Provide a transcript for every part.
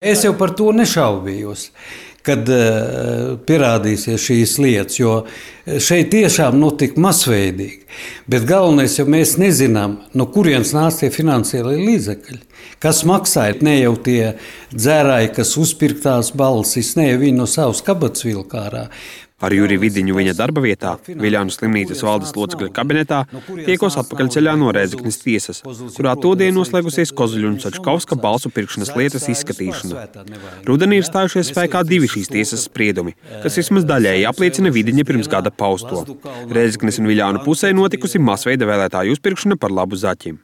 Es jau par to nešaubījos, kad pierādīsies šīs lietas, jo šeit tiešām notika masveidīgi. Bet galvenais, ja mēs nezinām, no kurienes nāca tie finansiālie līdzekļi, kas maksāja, ne jau tie dzērāji, kas uzpirktās balsis, ne jau viņi no savas kabatas vilka ārā. Ar Juriju Vidiņu viņa darba vietā, Viļānu slimnīcas valdes locekļa kabinetā, tiekos atpakaļceļā no Rēzeknes tiesas, kurā todien noslēgusies Kozuļa un Sačkauska balsu pirkšanas lietas izskatīšana. Rudenī ir stājušies spēkā 2 šīs tiesas spriedumi, kas vismaz daļēji apliecina Vidiņa pirms gada pausto. Rēzeknes un Viļānu pusē notikusi masveida vēlētāju uzpirkšana par labu zaķim.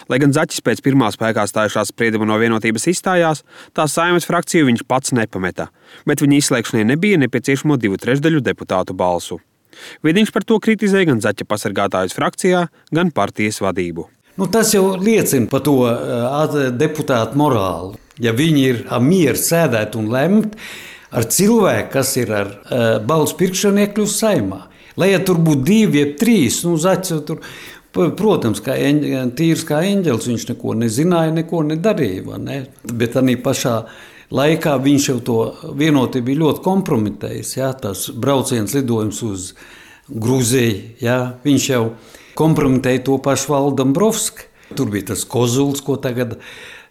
Lai gan Zaķis pēc pirmā spēkā stājušās sprieduma no Vienotības izstājās, tā Saeimas frakciju viņš pats nepameta, bet viņa izslēgšanai nebija nepieciešamo 2/3 deputātu balsu. Vidiņš par to kritizēja gan Zaķa pasargātājus frakcijā, gan partijas vadību. Tas jau liecina par to deputātu morāli. Ja viņi ir mieru sēdēt un lemt ar cilvēku, kas ir ar balsu pirkšanu iekļūst Saeimā. Lai ja tur būtu 2 vai 3, Zaķis jau tur... Protams, tīrs kā eņģelis, viņš neko nezināja, neko nedarīja. Ne? Bet arī pašā laikā viņš jau to Vienotību bija ļoti kompromitējis. Ja? Tas brauciens lidojums uz Gruziju, ja? Viņš jau kompromitēja to pašu Valdu Dombrovski. Tur bija tas Kozuls, ko tagad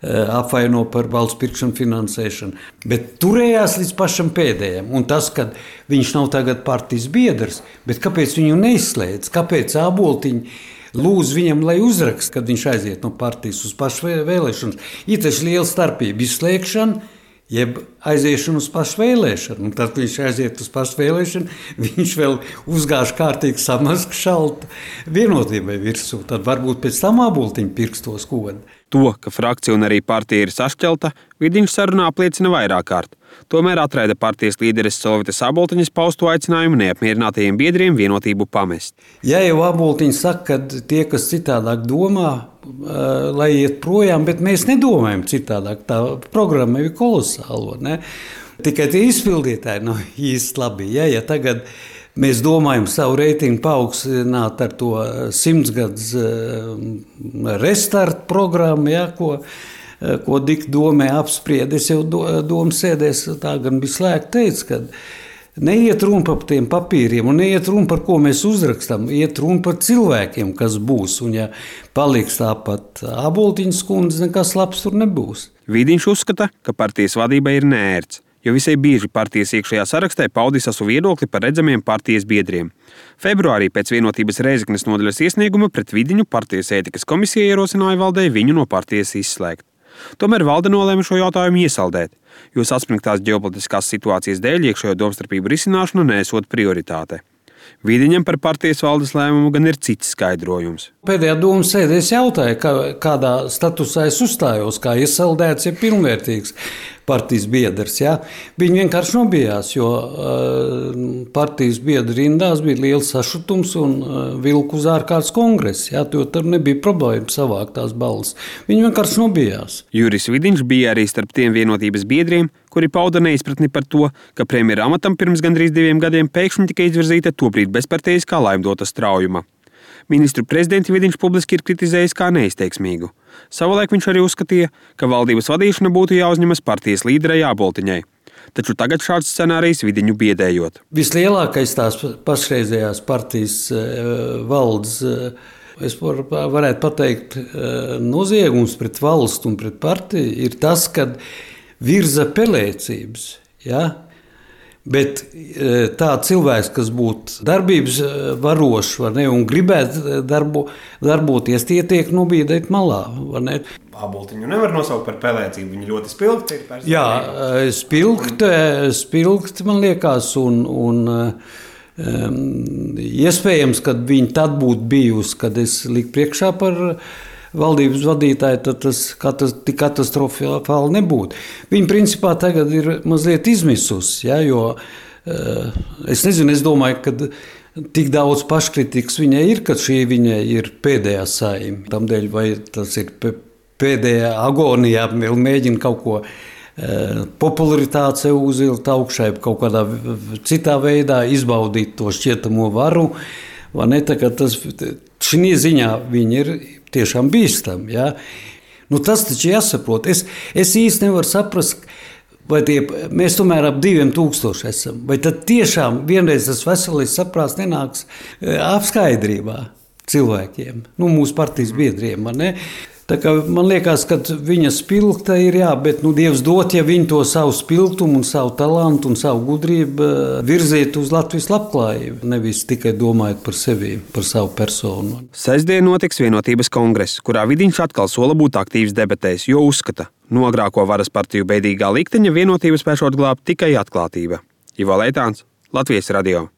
apvaino par valsts pirkšanu finansēšanu. Bet turējās līdz pašam pēdējiem. Un tas, ka viņš nav tagad partijas biedrs, bet kāpēc viņu neizslēdz, kāpēc Āboltiņi lūdzu viņam, lai uzraksta, kad viņš aiziet no partijas uz pašu vēlēšanas. Ir taču liela starpība izslēgšana, jeb aiziešana uz pašu vēlēšanu. Un tad, kad viņš aiziet uz pašu vēlēšanu, viņš vēl uzgāž kārtīgi samaska šalta Vienotībai virsū. Tad varbūt pēc tam Āboltiņi pirkstos kodu. To, ka frakcija un arī partija ir sašķelta, Vidiņš sarunā apliecina vairāk kārt. Tomēr atraida partijas līderes Solvitas Āboltiņas pausto aicinājumu neapmierinātajiem biedriem Vienotību pamest. Ja jau Āboltiņa saka, ka tie, kas citādāk domā, lai iet projām, bet mēs nedomājam citādāk. Tā programma ir kolosāla. Ne? Tikai tie izpildītāji nav īsti labi. Ja tagad mēs domājam savu reitingu paaugstināt ar to 100 gadus restartu programmu, ja, ko Dika domē apspried. Es jau domu sēdēs tā gan bija slēgta teica, ka neiet runa par tiem papīriem un neiet runa par ko mēs uzrakstam, iet runa par cilvēkiem, kas būs. Un ja paliks tāpat Āboltiņas kundze, nekas labs tur nebūs. Vidiņš uzskata, ka partijas vadība ir neērts, jo visai bieži partijas iekšējā sarakstē paudīs savu viedokli par redzamiem partijas biedriem. Februārī pēc Vienotības Rēzeknes nodaļas iesnieguma pret Vidiņu partijas ētikas komisija ierosināja valdei viņu no partijas izslēgt. Tomēr valde nolēma šo jautājumu iesaldēt, jo saspringtās ģeopolitiskās situācijas dēļ iekšējo domstarpību risināšana neesot prioritāte. Vidiņam par partijas valdes lēmumu gan ir cits skaidrojums. Pēdējā domas sēdē es jautāju, kādā statusā es uzstājos, kā iesaldēts, ja pilnvērtīgs partijas biedrs. Ja? Viņi vienkārši nobijās, jo partijas biedru rindās bija liels sašutums un vilku uz ārkārtas kongresu. Ja? Tur nebija problēma savākt tās balss. Viņi vienkārši nobijās. Juris Vidiņš bija arī starp tiem Vienotības biedriem, kuri pauda neizpratni par to, ka premjera amatam pirms gandrīz 2 gadiem pēkšņi tika izvirzīta tobrīd bezparteiskā Laimdota Straujuma. Ministru prezidenti Vidiņš publiski ir kritizējis kā neizteiksmīgu. Savulaik viņš arī uzskatīja, ka valdības vadīšana būtu jāuzņemas partijas līderei Āboltiņai. Taču tagad šāds scenārijs Vidiņu biedējot. Vislielākais tās pašreizējās partijas valdes, es varētu pateikt, noziegums pret valstu un pret partiju ir tas, kad virza pelēcības. Ja? Bet tā cilvēks, kas būtu darbības varošs un gribētu darboties, tie tiek nobīdēti malā. Āboltiņu nevar nosaukt par pelēcību, viņa ļoti spilgti ir. Jā, spilgti man liekas, un iespējams, kad viņa tad būtu bijusi, kad es liku priekšā par valdības vadītāji, tad tas tik katastrofāli nebūtu. Viņa principā tagad ir mazliet izmisusi, ja, jo es nezinu, es domāju, ka tik daudz paškritikas viņai ir, ka šī viņai ir pēdējā Saeima. Tamdēļ, vai tas ir pēdējā agonijā, vēl mēģina kaut ko popularitāti sev uzvilkt augšai, kaut kādā citā veidā izbaudīt to šķietamo varu. Šī ziņā viņi ir tiešām bīstami. Ja? Nu, tas taču jāsaprot. Es īsti nevaru saprast, vai mēs tomēr ap 2000 esam. Vai tad tiešām vienreiz tas veselais saprāts nenāks apskaidrībā cilvēkiem, mūsu partijas biedriem, ne? Tā kā man liekas, ka viņa spilgta ir, bet Dievs dot, ja viņi to savu spilgtumu un savu talantu un savu gudrību virziet uz Latvijas labklājību, nevis tikai domājot par sevi, par savu personu. Sestdien notiks Vienotības kongress, kurā Vidiņš atkal sola būt aktīvs debatēs, jo uzskata, no agrāko varas partiju beidīgā likteņa Vienotība spēšot glābt tikai atklātība. Ivo Leitāns, Latvijas radio.